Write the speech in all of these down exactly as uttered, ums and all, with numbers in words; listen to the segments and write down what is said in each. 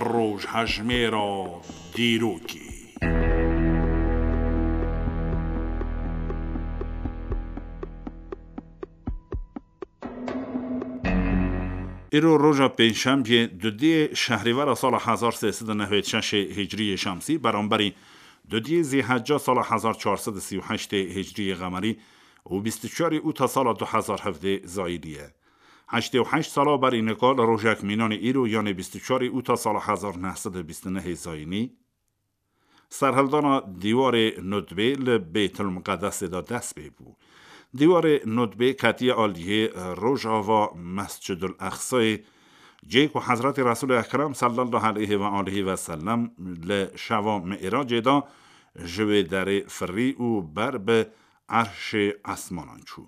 Rojhejmêra dîrokê. Îro roja pêncşembiyê, dudiyê şehrîvera sala hezar sê sed û newêd şeşê hicriyê şemsî, beramberî dudiyê zîhecca sala hezar çar sed û sî û heştê hicriyê qemerî û bîst û çarê ûta sala du hezar hevdê zayînî ye. Heştê û heşt sala berî nika li rojek mînanê îro, yanê bîst û çarê ûta sala hezar neh sed û bîst û nehê zayînî, serhildana dîwarê Nudbê li Bêtul Miqedesê de dest pê bû. Dîwarê Nudbê ketiye aliyê rojava Mescidul Eqsayê, cê ku Hezretî Resûlê Ekrem sallallahu aleyhi ve aleyhi ve sellem li şeva Mi'racê de ji wê derê firî û ber bi erşê esmanan çû.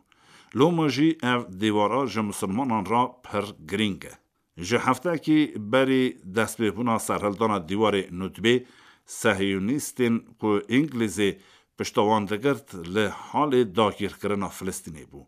Loma jî ev dîwara ji misilmanan re pir girîng e. Ji heftekî berî destpêbûna serhildana dîwarê Nudbê, Sehiyonîstên ku Îngilîzê pişta wan digirt, li halê dagîrkirina Filistînê bû.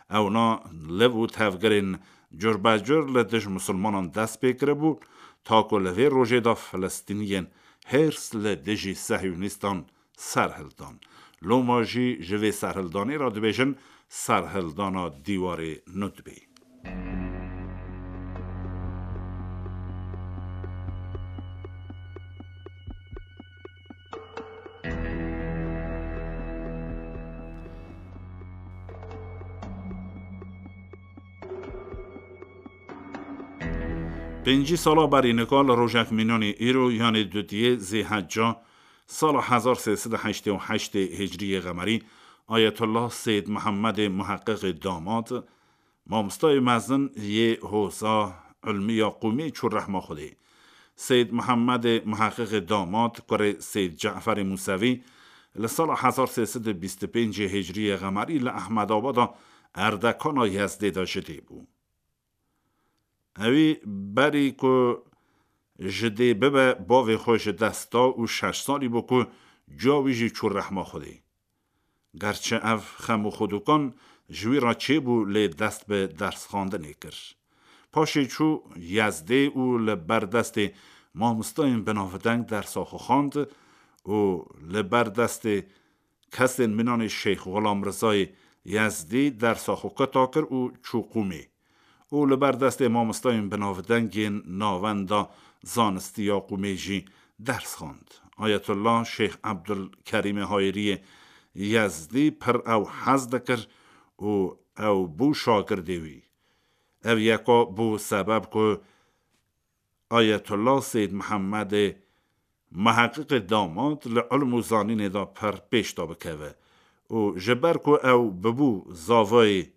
Ewna liv û tevgirên curbecur li dij misilmanan dest pê kiribû, ta ku li vê rojê de Filistîniyên hêrs li dijî Sehiyonîstan serhildan. Loma jî ji vê serhildanê re dibêjin serhildana dîwarê Nudbê. Pêncî sala berî nika li rojek mînanê îro, yanê dudiyê zêhecca, sala hezar sê sed û heştê û heştê hicriyê qemerî, Ayetullah Seyyid Mihemmedê Muheqqiqê Damat, mamostayê mezin yê Hoza Ilmiya Qûmê çû rehma Xwedê. Seyyid Mihemmedê Muheqqiqê Damat, kurê Seyyid Ceferê Musevî, li sala hezar sê sed û bîst û pêncê hicriyê qemerî li Ehmedabada Erdekana Yezdê de ji dê bû. Ewî berî ku ji dê bibe, bavê xwe ji dest da û şeş salî bû ku cuya wî jî çû rehma Xwedê. Gerçi ev xem û xwedûkan ji wî re çêbû, lê dest bi dersxwendinê kir. Paşê çû Yezdê û li ber destê mamostayên binavdeng dersa xwe xwend û li ber destê kesên mînanê Şeyx Xulam Rizayê Yezdî dersa xwe kota kir û çû Qûmê û li ber destê mamostayên binavdengên navenda zanistî ya Qûmê jî ders xwend. Ayetullah Şeyx Ebdulkerîmê Hayiriyê Yezdî pir ew hez dikir û ew bû şagirdê wî. Ev yeka bû sebeb ku Ayetullah Seyyid Mihemmedê Muheqqiqê Damat li ilm û zanînê de pir pêş de bikeve û ji ber ku ew bibû zavayê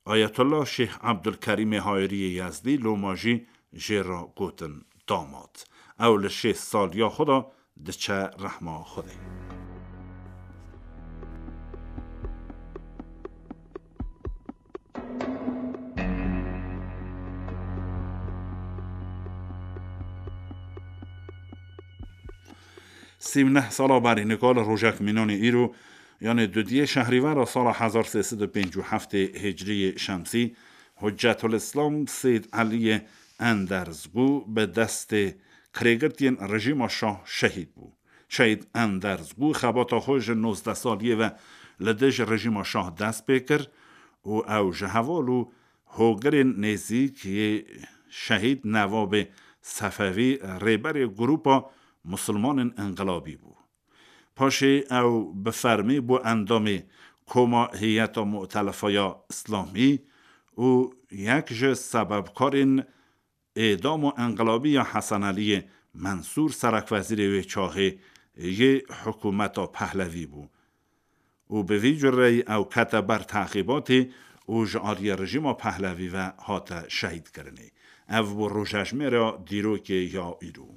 Ayetullah Şeyh Ebdulkerîmê Hayiriyê Yezdî, loma jî jê re gotin Damat. Ew li şêst saliya xwe de diçe rehma Xwedê. Sî û neh sala berî nika li rojek mînanê îro, yanê dudiyê şehrîvera sala hezar sê sed û pêncî û heftê hicriyê şemsî, Huccetul Îslam Seyyid Eliyê Enderzgû bi destê kirêgirtiyên rejîma şah şehîd bû. Şehîd Enderzgû xebata xwe ji nozdeh saliyê ve li dij rejîma şah dest pê kir û ew ji heval û hogirên nêzîk yê şehîd Newabê Sefevî, rêberê grûpa Musulmanên Inqilabî bû. Paşê ew bi fermî bû endamê Koma Heyeta Mu'telefa ya Îslamî û yek ji sebebkarên êdama inqilabî ya Hesen Eliyê Mensûr, serekwezîrê wê çaxê yê hikûmeta Pehlevî bû û bi vî cureyî ew kete ber teqîbatê û ji aliyê rejîma Pehlevî ve hate şehîdkirinê. Ev bû rojejmêra dîrokê ya îro.